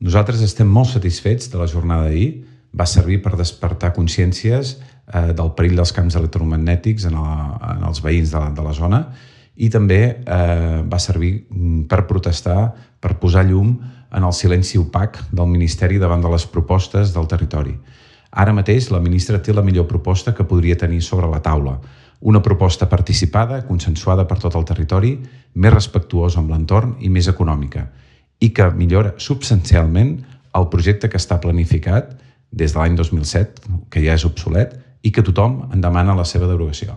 Nosaltres estem molt satisfets de la jornada d'ahir. Va servir per despertar consciències del perill dels camps electromagnètics en els veïns de la zona i també va servir per protestar, per posar llum en el silenci opac del Ministeri davant de les propostes del territori. Ara mateix la ministra té la millor proposta que podria tenir sobre la taula, una proposta participada, consensuada per tot el territori, més respectuosa amb l'entorn i més econòmica, i que millora substancialment el projecte que està planificat des de l'any 2007, que ja és obsolet, i que tothom en demana la seva derogació.